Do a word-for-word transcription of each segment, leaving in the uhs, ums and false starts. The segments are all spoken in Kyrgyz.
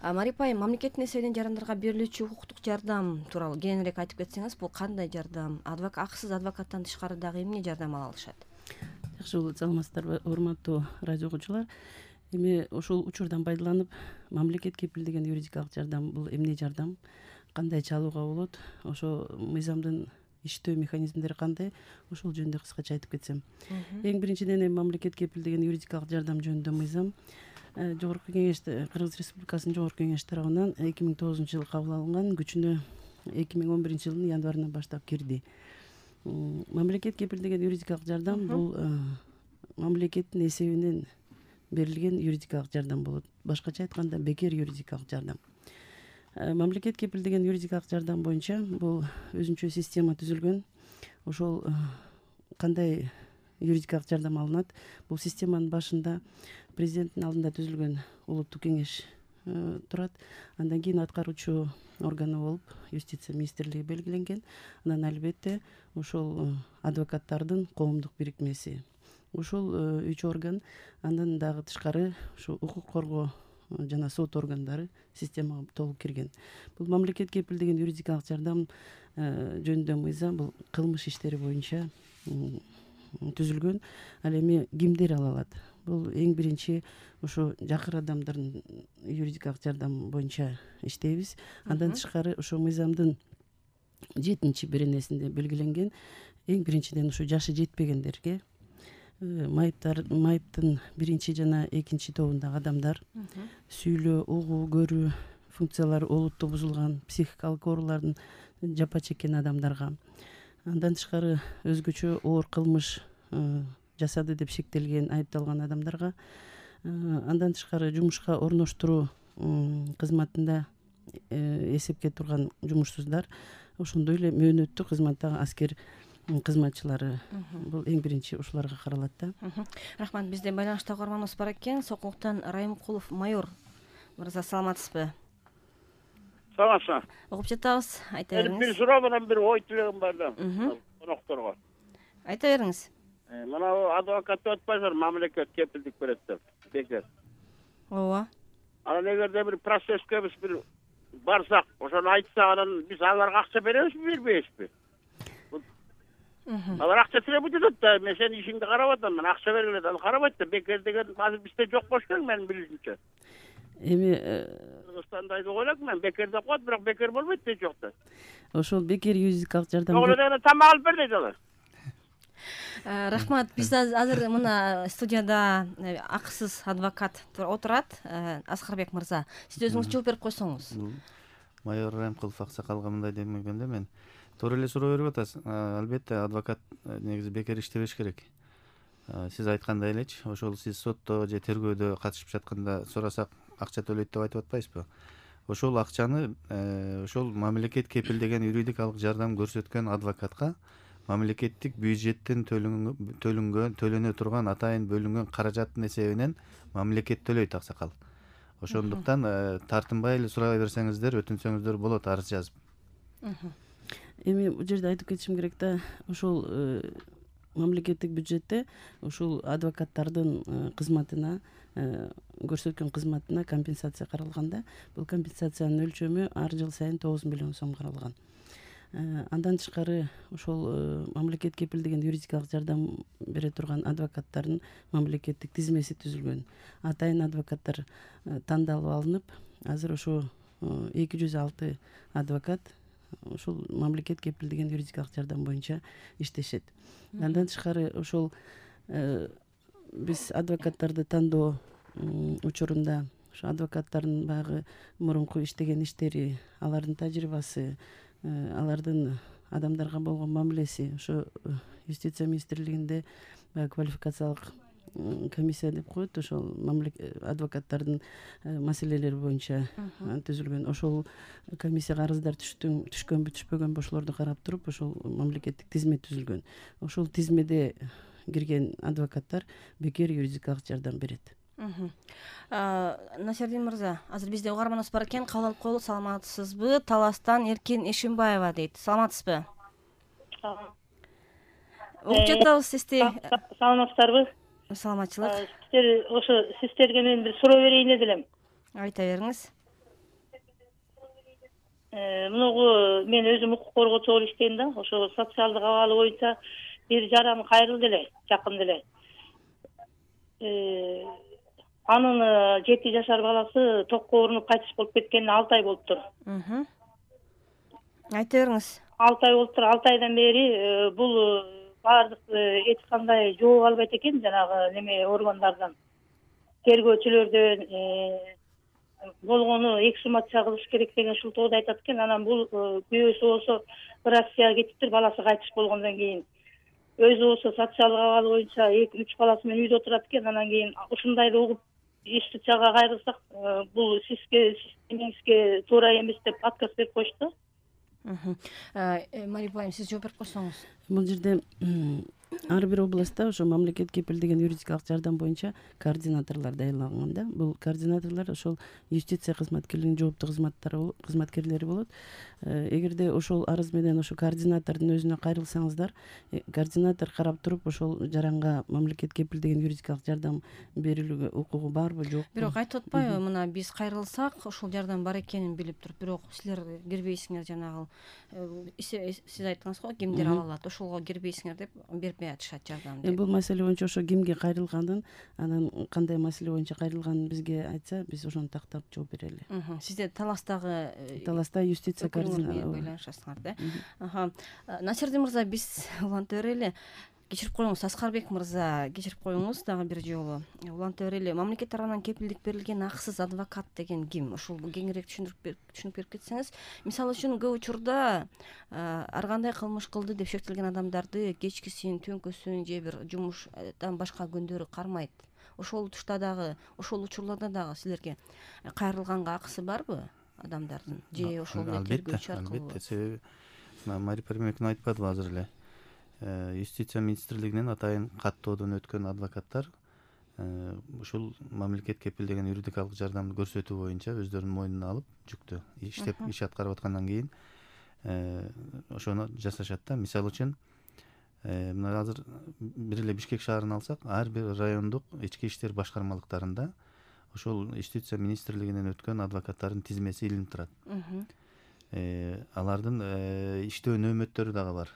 Марипа айым, мамлекеттин эсебинен жарандарга берилүүчү укуктук жардам тууралуу кененирээк айтып кетсеңиз, бул кандай жардам? Акысыз адвокаттан тышкары дагы эмне жардам ала алышат? Жакшы болот, саламатсыздарбы, урматтуу радио угуучулар. Эми ушул учурдан пайдаланып, мамлекет кепилдеген юридикалык жардам бул эмне жардам, кандай чалууга болот, ошо мыйзамдын иштөө механизмдери кандай, ошол жөнүндө кыскача айтып кетсем. Эң биринчиден эми мамлекет кепилдеген юридикалык жардам жөнүндө мыйзам Жогорку Кеңеш, Кыргыз Республикасынын Жогорку Кеңеши тарабынан эки миң тогузунчу жылы кабыл алынган, күчүнө эки миң он биринчи жылдын январынан баштап кирди. Мамлекет кепилдеген юридикалык жардам бул мамлекеттин эсебинен берилген юридикалык жардам болот. Башкача айтканда, бекер юридикалык жардам. Мамлекет кепилдеген юридикалык жардам боюнча бул өзүнчө система түзүлгөн. Ошол кандай юридикалык жардам алынат? Бул системанын башында президенттин алдында түзүлгөн улуттук кеңеш турат. Андан кийин аткаруучу органы болуп юстиция министрлиги белгиленген. Анан албетте ошол адвокаттардын коомдук бирикмеси. Ушул үч орган, андан дагы тышкары ушу укук коргоо жана сот органдары системага толук кирген. Бул мамлекет кепилдеген юридикалык жардам жөнүндө мыйзам бул кылмыш иштери боюнча түзүлгөн. Ал эми кимдер ала алат? Бул эң биринчи ушу жакыр адамдардын юридикалык жардам боюнча иштейбиз. Андан тышкары ошо мыйзамдын жетинчи беренесинде белгиленген эң биринчиден ушу жашы жетпегендерге, майыптар майыптын биринчи жана экинчи тобундагы адамдар, сүйлөө, угуу, көрүү функциялары олуттуу бузулган психикалык оорулардын жапа чеккен адамдарга, андан тышкары өзгөчө оор кылмыш жасады деп шектелген, айыпталган адамдарга, андан тышкары жумушка орноштуруу кызматында эсепке турган жумушсуздар, ошондой эле мөөнөттүү кызматтагы аскер кызматчылары, бул эң биринчи ушуларга каралат да. Рахмат, бизде байланышта угарманыбыз бар экен. Сокулуктан Райымкулов майор мырза, саламатсызбы? Саламатсызбы. Угуп жатабыз, айта бериңиз. Бир суроо менен бир ой тилегим бар да, конокторго. Айта бериңиз. Мына адвокат деп атпайсыздар, мамлекет кепилдик берет деп, бекер. Ооба. Анан эгерде бир процесске биз бир барсак, ошону айтсак, анан биз аларга акча беребизби, бербейбизби? Алар акча тилеп жатат да, мен сенин ишиңди карап атам, мен акча бергиле да, ал карабайт да, бекер деген азыр бизде жок болуш керек, менин билишимче. Эми Кыргызстанда деп ойлойм мен, бекер деп коет, бирок бекер болбойт да жокта. Ошол бекер юридикалык жардам. Ошол эле тамак алып бер дейт алар. Рахмат, биз азыр мына студияда акысыз адвокат отурат, Аскарбек мырза. Сиз өзүңүз жооп берип койсоңуз. Майор Райымкулов аксакалга мындай демегенде, мен туура эле суроо берип атасыз. Албетте адвокат негизи бекер иштебеш керек. Сиз айткандай элечи, ошол сиз сотто же тергөөдө катышып жатканда сурасак акча төлөйт деп айтып атпайсызбы? Ошол акчаны ошол мамлекет кепилдеген юридикалык жардам көрсөткөн адвокатка мамлекеттик бюджеттен төлөнгөн, төлөнө турган атайын бөлүнгөн каражаттын эсебинен мамлекет төлөйт аксакал. Ошондуктан тартынбай эле сурай берсеңиздер, өтүнсөңүздөр болот, арыз жазып. Эми бул жерде айтып кетишим керек да, ошол мамлекеттик бюджетте ушул адвокаттардын кызматына, көрсөткөн кызматына компенсация каралганда, бул компенсациянын өлчөмү ар жыл сайын тогуз миллион сом каралган. Андан тышкары ошол мамлекет кепилдеген юридикалык жардам бере турган адвокаттардын мамлекеттик тизмеси түзүлгөн. Атайын адвокаттар тандалып алынып, азыр ошо эки жүз алты адвокат ушул мамлекет кепилдеген юридикалык жардам боюнча иштешет. Андан тышкары ошол биз адвокаттарды тандоо учурунда ошо адвокаттардын баягы мурунку иштеген иштери, алардын тажрыйбасы, алардын адамдарга болгон мамилеси, ошо юстиция министрлигинде квалификациялык комиссия деп коет, ошол адвокаттардын маселелери боюнча түзүлгөн. Ошол комиссияга арыздар түшкөнбү, түшпөгөнбү, ошолорду карап туруп, ошол мамлекеттик тизме түзүлгөн. Ошол тизмеде кирген адвокаттар бекер юридикалык жардам берет. Насердин мырза, азыр бизде угарманыбыз бар экен, кабыл алып коелу. Саламатсызбы? Таластан Эркин Эшимбаева дейт. Саламатсызбы? Угуп жатабыз сизди. Саламатсыздарбы? Саламатчылык. Сиздер ошо сиздерге мен бир суроо берейин элем. Айта бериңиз. мунугу мен өзүм укук коргоочу болуп иштейм да. Ошо социалдык абалы боюнча бир жаран кайрылды эле, жакында эле. Анын жети жашар баласы токко урунуп кайтыш болуп кеткенине алты ай болуптур. Айта бериңиз. алты ай болуптур. алты айдан бери бул баардык эч кандай жооп албайт экен, жанагы неме органдардан, тергөөчүлөрдөн. Болгону эксгумация кылыш керек деген ушул тоодо айтат экен. Анан бул күйөөсү болсо Россияга кетиптир, баласы кайтыш болгондон кийин. Өзү болсо социалдык абалы боюнча эки үч баласы менен үйдө отурат экен. Анан кийин ушундайды угуп ишти чага кайрылсак, бул сизге сизге туура эмес деп отказ берип коюшту. Мария Айым, сиз жооп берип койсоңуз. Бул жерде ар бир областта ошо мамлекет кепилдеген юридикалык жардам боюнча координаторлор дайырланган да. Бул координаторлор ошол юстиция кызматкерлигинин жооптуу кызматтары кызматкерлери болот. Эгерде ошол арыз менен ошо координатордун өзүнө кайрылсаңыздар, координатор карап туруп ошол жаранга мамлекет кепилдеген юридикалык жардам берилүүгө укугу барбы, жокпу? Бирок айтып атпайбы, мына биз кайрылсак ошол жардам бар экенин билип туруп, бирок силер кирбейсиңер, жанагы сиз айттыңыз го, кимдер ала алат, ошолго кирбейсиңер деп бербей атышат жардам деп. Бул маселе боюнча ошо кимге кайрылганын, анан кандай маселе боюнча кайрылганын бизге айтса, биз ошону тактап жооп берели. Сизде Таластагы Таласта юстиция байланышасыңар да. Насирдин мырза, биз уланта берели. Кечирип коюңуз, Аскарбек мырза, кечирип коюңуз дагы бир жолу. Уланта берели. Мамлекет тарабынан кепилдик берилген акысыз адвокат деген ким? Ушул кеңирээк түшүндүрүп түшүнүп берип кетсеңиз. Мисалы үчүн көп учурда ар кандай кылмыш кылды деп шектелген адамдарды кечкисин, түнкүсүн же бир жумуштан башка күндөрү кармайт. Ошол тушта дагы, ошол учурларда дагы силерге кайрылганга акысы барбы адамдардын? Же ошол тергөөчү аркылуу? Албетте, себеби Мария Паримовна айтпадыбы азыр эле? Юстиция министрлигинен атайын каттоодон өткөн адвокаттар ушул мамлекет кепилдеген юридикалык жардамды көрсөтүү боюнча өздөрүнүн мойнуна алып жүктү иштеп иш аткарып аткандан кийин ошону жасашат да. Мисалы үчүн мына азыр бир эле Бишкек шаарын алсак, ар бир райондук ички иштер башкармалыктарында ошол юстиция министрлигинен өткөн адвокаттардын тизмеси илинип турат. Алардын иштөө нөөмөттөрү дагы бар.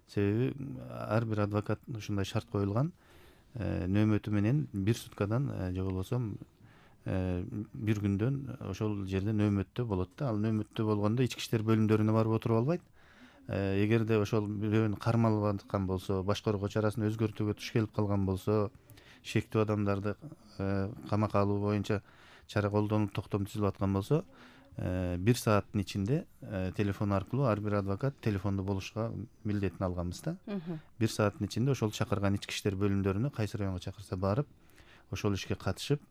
Себеби ар бир адвокат ушундай шарт коюлган, нөөмөтү менен бир суткадан же болбосо бир күндөн ошол жерде нөөмөттө болот да. Ал нөөмөттө болгондо ички иштер бөлүмдөрүнө барып отуруп албайт. Эгерде ошол бирөөнү кармалып аткан болсо, башкаруу чарасын өзгөртүүгө туш келип калган болсо, шектүү адамдарды камакка алуу боюнча чара колдонуп токтом түзүлүп аткан болсо, бир сааттын ичинде телефон аркылуу ар бир адвокат телефондо болушка милдетин алганбыз да. Бир сааттын ичинде ошол чакырган ички иштер бөлүмдөрүнө кайсы районго чакырса барып, ошол ишке катышып,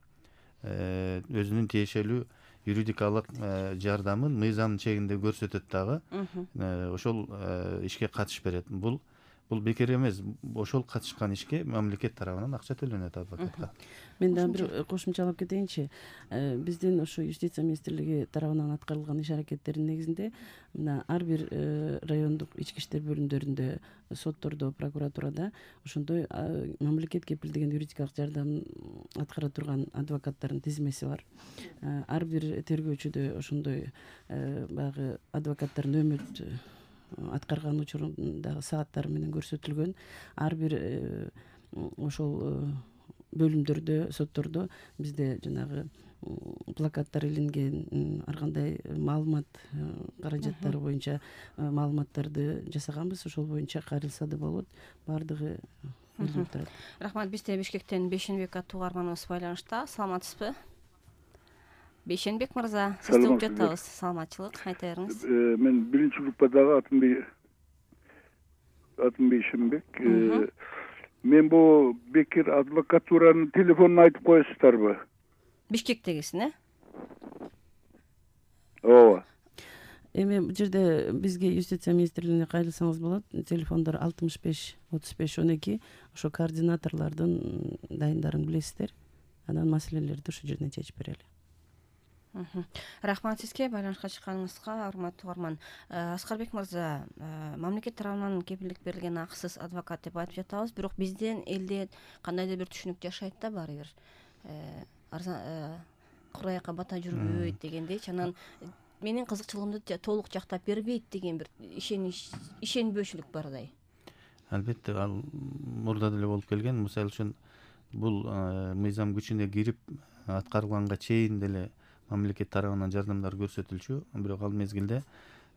өзүнүн тиешелүү юридикалык жардамын мыйзам чегинде көрсөтөт дагы. Ошол ишке катыш берет. Бул бул бекер эмес. Ошол катышкан ишке мамлекет тарабынан акча төлөнөт адвокатка. Мен дагы бир кошумчалап кетейинчи. Биздин ошо юстиция министрлиги тарабынан аткарылган иш аракеттердин негизинде мына ар бир райондук ички иштер бөлүмдөрүндө, соттордо, прокуратурада ошондой мамлекет кепилдеген юридикалык жардам аткара турган адвокаттардын тизмеси бар. Ар бир тергөөчүдө ошондой баягы адвокаттар нөөмөт аткарган учурундагы сааттары менен көрсөтүлгөн. Ар бир ошол бөлүмдөрдө, соттордо бизде жанагы плакаттар илинген, ар кандай маалымат каражаттары боюнча маалыматтарды жасаганбыз. Ошол боюнча кайрылса да болот. Баардыгы билинип турат. Рахмат. Бизде Бишкектен Бейшенбек аттуу каарманыбыз байланышта. Саламатсызбы? Бейшенбек мырза, сизди угуп жатабыз. Саламатчылык, айта бериңиз. Мен биринчи группадагы атым атым Бейшенбек. Мен бул Бекир адвокатуранын телефонун айтып коесуздарбы? Бишкектегисин, э? Ооба. Эми бул жерде бизге юстиция министрлигине кайрылсаңыз болот. Телефондор алтымыш беш отуз беш он эки. Ошо координаторлордун дайындарын билесиздер. Анан маселелерди ошол жерден чечип берели. Рахмат сизге байланышка чыкканыңызга, урматтуу каарман. Аскарбек мырза, мамлекет тарабынан кепилдик берилген акысыз адвокат деп айтып жатабыз, бирок бизден элде кандайдыр бир түшүнүк жашайт да баары бир. Кураяка бата жүрбөйт дегендейчи. Анан менин кызыкчылыгымды толук жактап бербейт деген бир ишенич ишенбөөчүлүк бардай. Албетте ал мурда деле болуп келген. Мисалы үчүн бул мыйзам күчүнө кирип аткарылганга чейин деле мамлекет тарабынан жардамдар көрсөтүлчү, бирок ал мезгилде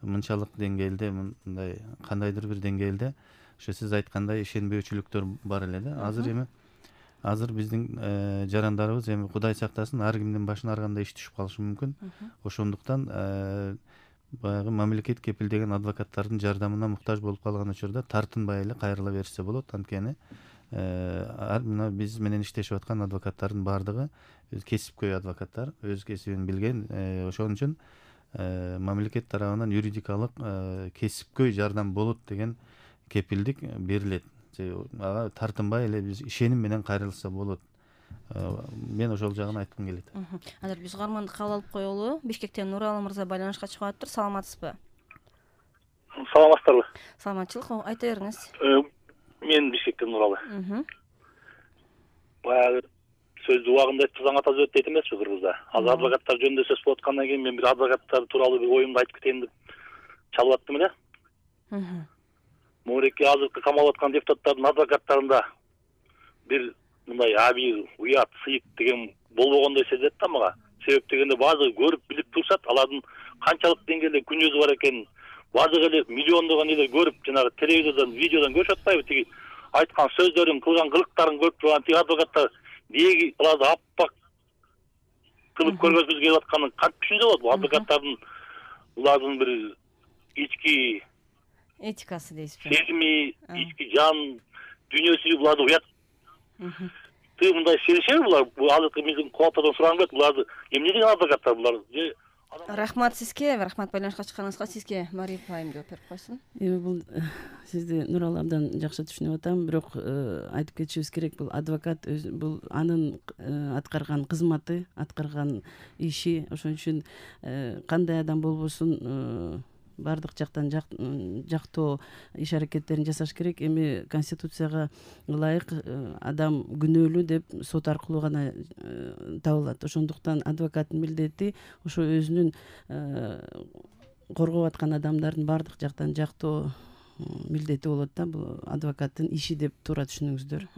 мынчалык деңгээлде, мындай кандайдыр бир деңгээлде ошо сиз айткандай ишенбөөчүлүктөр бар эле да. Азыр эми азыр биздин жарандарыбыз эми Кудай сактасын ар кимдин башына ар кандай иш түшүп калышы мүмкүн. Ошондуктан баягы мамлекет кепилдеген адвокаттардын жардамына муктаж болуп калган учурда тартынбай эле кайрыла берсе болот. Анткени мына биз менен иштешип аткан адвокаттардын баардыгы кесипкөй адвокаттар, өз кесибин билген. Ошон үчүн мамлекет тарабынан юридикалык кесипкөй жардам болот деген кепилдик берилет. Ага тартынбай эле биз ишеним менен кайрылса болот. Мен ошол жагын айткым келет. Азыр биз угарманды кабыл алып коелу. Бишкектен Нуралы мырза байланышка чыгып атыптыр. Саламатсызбы? Саламатсыздарбы? Саламатчылык, айта бериңиз. Мен Бишкектен Нуралы. Баягы сөздү убагында айтып заң ата зөт дейт эмеспи Кыргызда. Азыр адвокаттар жөнүндө сөз болуп аткандан кийин мен бир адвокаттар тууралуу бир оюмду айтып кетейин деп чалып аттым эле. Могуреки азыркы камалып аткан депутаттардын адвокаттарында бир мындай абийир, уят, сыйык деген болбогондой сезилет да мага. Себеп дегенде баардыгы көрүп билип турушат, алардын канчалык деңгээлде күнөөсү бар экенин баардыгы эле миллиондогон эле көрүп, жанагы телевизордон, видеодон көрүшүп атпайбы? Тиги айткан сөздөрүн, кылган кылыктарын көрүп турган тиги адвокаттар деги аларды аппак кылып көргөзгүсү келип атканын кантип түшүнсө болот? Бул адвокаттардын улардын бир ички этикасы дейсизби? Сезими, ички жан дүйнөсү буларды уят. Ты мындай серишеби булар? Бул азыркы биздин кулактардан сураган келет. Буларды эмне деген адвокаттар булар? Рахмат сизге, рахмат байланышка чыкканыңызга. Сизге Мария Пайым жооп берип койсун. Эми бул сизди Нуралы абдан жакшы түшүнүп атам, бирок айтып кетишибиз керек, бул адвокат бул анын аткарган кызматы, аткарган иши. Ошон үчүн кандай адам болбосун баардык жактан жактоо иш аракеттерин жасаш керек. Эми Конституцияга ылайык адам күнөөлүү деп сот аркылуу гана табылат. Ошондуктан адвокаттын милдети ошо өзүнүн коргоп аткан адамдардын баардык жактан жактоо милдети болот да. Бул адвокаттын иши деп туура түшүнүңүздөр.